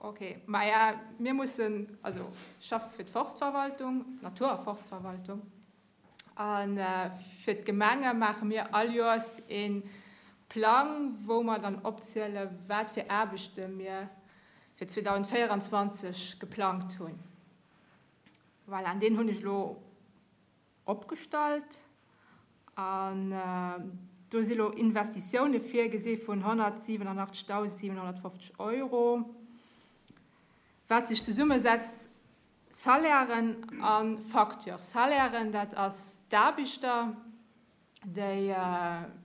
Ok, maja mir mussen, also ech schaffe fir d'Forstverwaltung, d'Natur a Forstverwaltung, a fir d'Gemenge maache mir all Joers ee Plang, wou mer dann opziele wat fir Aarbechte mir fir 2024 geplangt hunn. Voilà, an deen hunn ech elo Opgestallt. An do si lo Investitioune virgesi vun 187.750 Euro, wat sech zesummesetzt, Salairen a Facture. Salairen, dat ass d'Aarbechter, déi,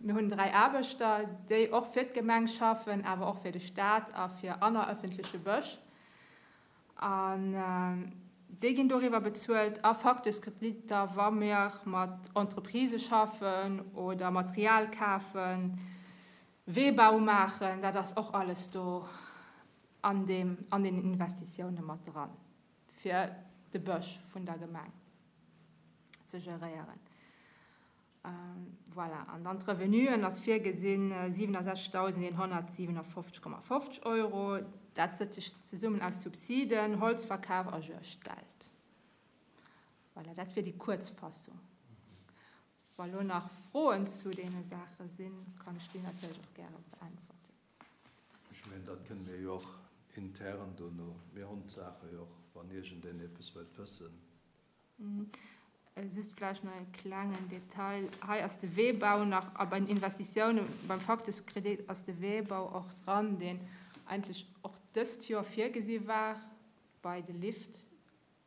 mir hunn 3 Aarbechter, déi och fir d'Gemeng schaffen, awer och fir de Staat a fir aner ëffentleche Bësch. An déi ginn doriwwer bezuelt. A Facteurskreditter, wa mir mat Entreprisë schaffen oder Material kafen, Weebau maachen, dat ass och alles do an deem, an den Investitioune mat dran, fir de Bësch vun der Gemeng ze geréieren. Voilà, an dann d'Revenuen ass virgesinn 67.157,50 Euro. Dat setzt sech zesummen aus Subsiden, Holzverkaf a Juegdgeld. Voilà, dat wier déi Kuerzfassung. Wa lo nach Froen zu deene Saache sinn, kann ech déi natierlech och gäre beäntwerten. Ech mengen, dat kënne mir jo och intern dono, mir hunn d'Saache jo och, wann iergendeen eppes wëllt wëssen. Just vläicht nach e klengen Detail, Hei ass de Weebau nach, a bei den Investitiounen, beim Facteuskredit ass de Weebau och dran, deen eigentlech och dëst Joer virgesi war bei de Lift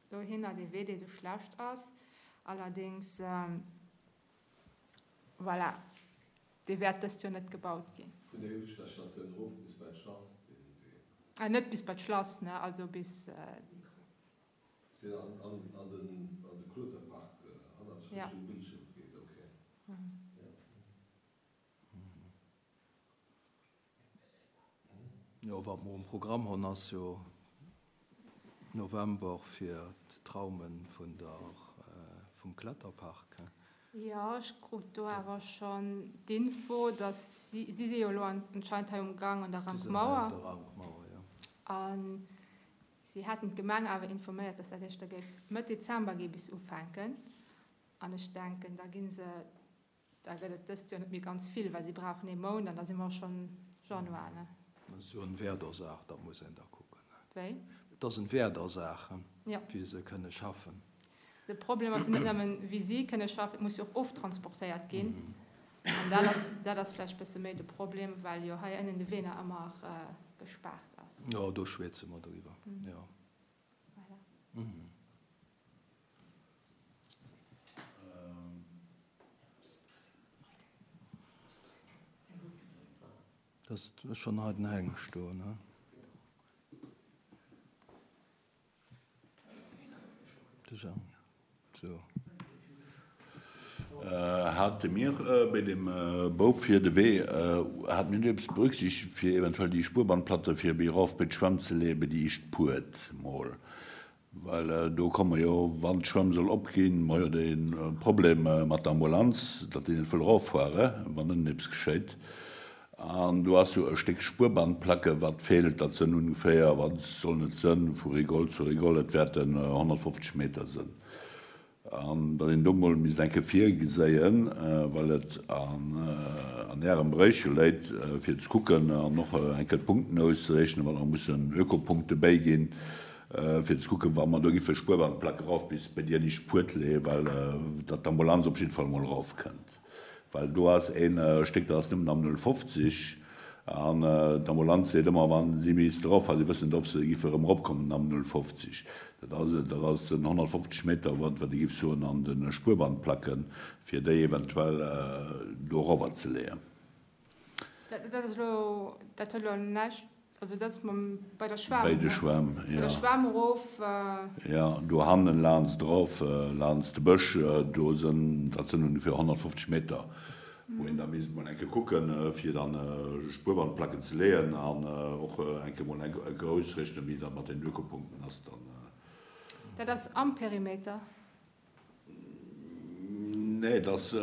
dohinner, dee Wee, dee sou schlecht ass. Allerdéngs, voilà, dee wäert dëst Joer net gebaut ginn. Vun der ieweschter Statioun erof bis bei d'Schlass, dee Wee. Net bis bei d'Schlass, ne, also bis. Sinn an de Kloterpark hannert Richtung Bildschirm geet, ok. Jo, wat mer um Programm hunn ass jo November fir d'Traume vun der vum Kletterpark. Jo, ech krut do awer schonn d'Info, datt si, si si jo elo anscheinend hei um Gang an der Rankmauer. Déi sinn hei un der Rankmauer, jo. An Si hätten d'Gemeng awer informéiert, datt dat éischter géif Mëtt Dezember gi bis ufänken. An ech denken, da gi se, da gëtt et dëst Joer net méi ganz vill, well si brauchen ee Mount an da si mer och schonn Januar, ne? Dat ass jo en Werdersaach, dat muss een da kucken, ne? Wéi? Et ass en Werdersaach, wéi se kënne schaffen. De Problem ass jo net nëmmen, wéi si kënne schaffen, et muss jo och oftransportéiert ginn. An dat ass, dat ass vläicht e bësse méi de Problem, well jo hei ënnen de Wee nach ëmmer gespaart ass. Jo, do schwätze mer driwwer, jo. Voilà. Dat ass schonn hei den Hengst do, ne? Hate mir bei dem Bau fir de Wee, hate mir net eppes berücksichtegt fir eventuell déi Spuerbandplatte fir méi erof bei d'Schwämm ze leeë bei déi éischt Puert mol? Well do komme jo, wann d'Schwämm soll opginn, mer jo de Problem mat der Ambulanz, datt déi net wëll eroffuere wann ënnen eppes geschéit. An do ass jo e Stéck Spuerbandplacke wat feelt, dat sënn ungeféier, wat sollen et sënn, vu Rigole zu Rigole, et wäerten 150 Meter sënn. An datt een do mol misst eng Kéier virgeséien, well et an Ärem Beréich jo léit, fir ze kucken an och eng Kéier d'Punkten auszerechnen, wann mer mussen Ökopunkte bäiginn, fir ze kucken, wa mer do giffe Spuerbandplacke rauf bis bei déi éischt Puert leeën, well datt d'Ambulanz op jidde Fall mol erofkënnt. Well do ass een Stéck, dat ass nëmmen am 0,50 an d'Ambulanz seet ëmmer, wa si misst erof, well si wëssen net, ob se giffe erëm eropkommen am 0,50. Dat ass, dat ass en 150 Meter, wat wat ee giff soen an de Spuerbandplacken, fir déi eventuell do erower ze leeën. Dat ass elo, dat huet elo näischt, also dat ass mam, bei der Schwämm, Bei de Schwämm, jo. Bei der Schwämm erof. Jo, do hannen laanst erof, laanst de Bësch, do sënn, dat sënn ongeféier 150 Meter, wou een da misst mol eng Kéier kucken, fir dann Spuerbandplacken ze leeën an och eng Kéier mol eng Kéier ausrechnen, wéi dat mat den Ökopunkten ass dann. Dat ass am Perimeter? Nee, et ass,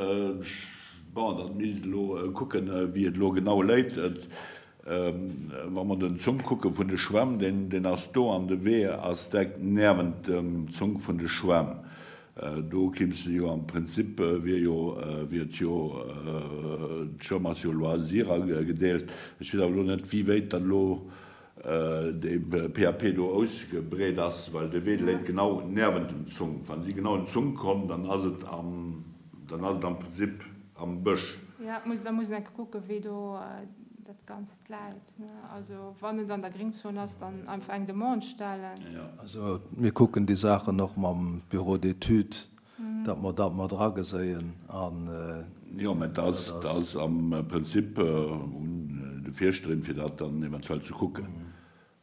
bon, dat misst elo kucken, wéi et elo genau léit. Wa mer den Zonk kucke vun de Schwämm, deen, deen ass do an de Wee ass direkt niewent dem Zonk vun de Schwämm. Do kimmst de jo am Prinzip, wier jo, wier et jo, d'Schwämm ass jo Loisir agedeelt. Ech weess awer elo net, wéi wéit dat elo dee PAP do ausgebreet ass, well de Wee léit genau niewent dem Zonk. Wa si genau un Zonk kommen, dann ass et am, dann ass et am Prinzip am Bësch. Jo, muss, da muss een enke kucken, wéi do dat Ganzt läit. Also wann et an der Gringzon ass, dann einfach eng Demande stellen. Also mir kucken déi Saachen och mam Bureau d'études, datt mer dat mat erageséien an. Jo, mä dat ass am Prinzip un de Fierschterin, fir dat dann eventuell ze kucken.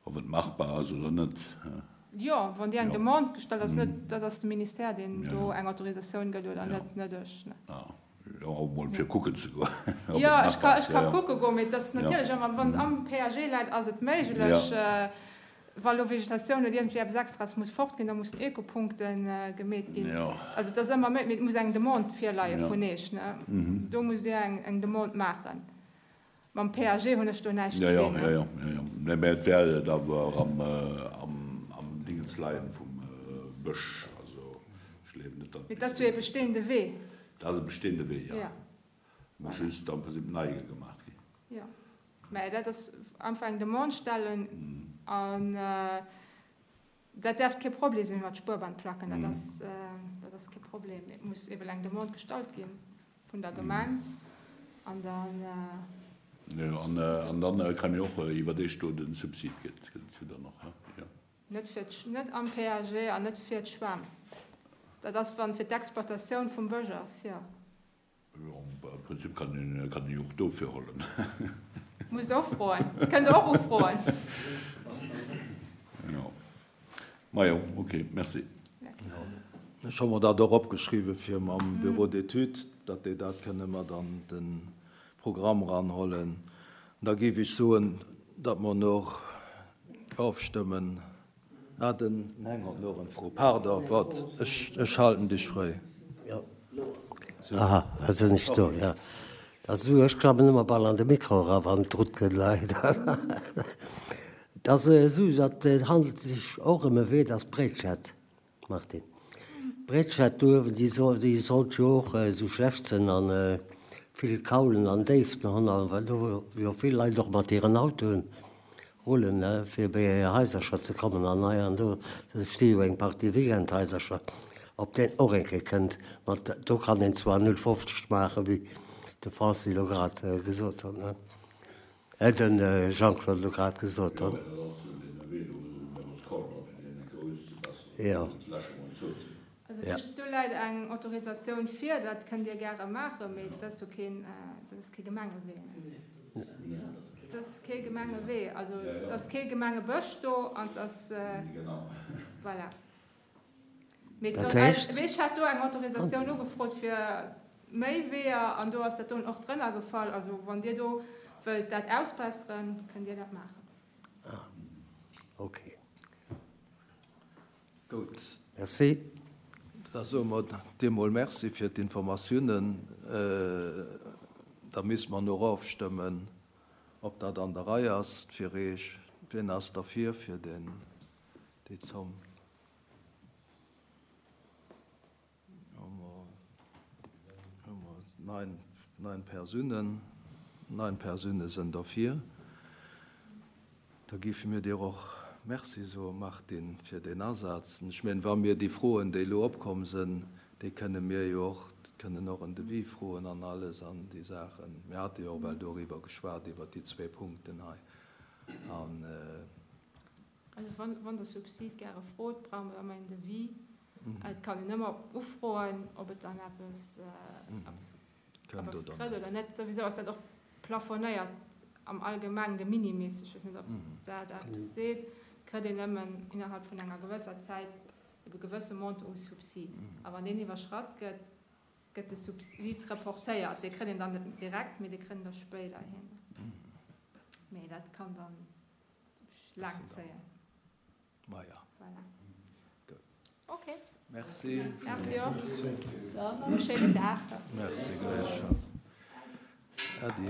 Ob et machbar ass oder net. Jo, wann Dir eng Demande gestallt, ass net, dat ass de Ministère, deen do eng Autorisatioun gëtt oder net, net ech. Jo, och mol fir kucken ze goen, ob et machbar ass. Jo, ech ka kucke goen, mee et ass natierlech ëmmer, wann et am PAG läit, ass et méiglech. Wa lo Vegetatioun oder iergendwéi eppes Extraes muss fort ginn, da mussen Ökopunkte gemeet ginn. Also et ass ëmmer méi, mee et muss eng Demande virleie vun Iech, ne? Do musst Dir eng Demande maachen. Mam PAG hunn ech do näischt ze dinn. Jo, jo, jo, jo. Mä et wäert et awer am, am Dingens leien vum Bësch. Also ech gleewen net, datt. Mee et ass jo ee bestehende Wee. Dat ass e bestehende Wee, jo. Muss just am Prinzip nei gemaach ginn. Jo. Mä dat ass einfach eng Demande stellen an. Dat däerft kee Problem sinn mat Spuerbandplacken, dat ass, dat ass kee Problem. Et muss eben eng Demande gestallt gi vun der Gemeng an dann. Jo, an, an dann kréie mir och iwwerdeeg do de Subsid gëtt, gëtt et jo dann och, he? Jo. Net fir d', net am PAG an net fir d'Schwämm. Dat ass, wann et fir d'Exploitatioun vum Bësch ass, jo. Jo, am Prinzip kann een kann een jo och dofir hollen. Musst och froen. Kënnt der och ufroen. Jo. Majo, ok, merci. Ech hu mer dat och opgeschriwwen, fir mam Bureau d'études, datt déi dat kënne mat an de Programm eranhollen. Da géif ech soen, datt mer och ofstëmmen. Ah, den Heng hat nach eng Fro. Pardon, wat? Ech halten dech fréi. Aha, elo sinn ech do, jo. Dat ass esou, ech klammen ëmmer bal an de Mikro era wann et drut gëtt, leider. Et ass esou, datt et handelt sech och ëm e Wee, dat ass d'Bréitschett. Martin. D'Bréitschett do uewen, déi soll, déi sollt jo och esou schlecht sinn an vill Kaulen an Déiften hunn, a well do jo vill Leit och mat hiren Autoen rullen, fir bei hir Haisercher ze kommen an hei an do, do sti jo eng Partie Weekendhaisercher, ob deen och eng Kéier kënnt mat, do kann een zwar 0,50 maachen, wéi de Francis elo grad gesot huet. Den Jean-Claude elo grad gesot huet. Jo. Also do läit eng Autorisatioun vir, dat kënnt Dir gäre maachen, mee dat ass jo keen, dat ass kee Gemengewee. Dat ass kee Gemengewee, also et ass kee Gemengebësch do an et ass, voilà. Mee Dat heescht. Ech hat do eng Autorisatioun ugefrot fir méi Weeër an do ass dat doen och drënner gefall. Also wann Dir do wëllt dat ausbesseren, kënnt Dir dat maachen. Ah, okay. Gutt. Merci. Da soe mer dir mol Merci fir d'Informatiounen. Da misste mer no erofstëmmen, ob dat an der Rei ass fir Eech. Wien ass derfir, fir deen, déi Zomm? Nein Persounen, nein Persoune sënn derfir. Da géife mir dir och Merci soen, Martine, fir deen Asaz. Ech mengen, wa mir déi Froen, déi elo opkomm sënn, déi kënne mir jo och, kënnen och en Devis froen an alles an déi Saachen. Mir hate jo och well doriwwer geschwat, iwwert déi zwee Punkten hei. An. Also wann Der Subsid gäre frot, brauche mer ëmmer een Devis. Et kann een ëmmer ufroen, ob et dann eppes kritt oder net. Souwisou ass dat och plafonéiert am Allgemeng, de Minimis, ech weess net, ob dat eppes seet, kritt een nëmmen innerhalb vun enger gewësser Zäit e gewësse Montant u Subsid. A wann deen iwwerschratt gëtt, gëtt de Subsid reportéiert. Dee kritt een dann net direkt, mee dee kritt een da spéiderhin. Mee dat kann dann Laang zéien. Maja. Voilà. Gutt. Ok. Merci. Merci och. Dann nach e schéinen Dag. Merci gläichfalls. Äddi.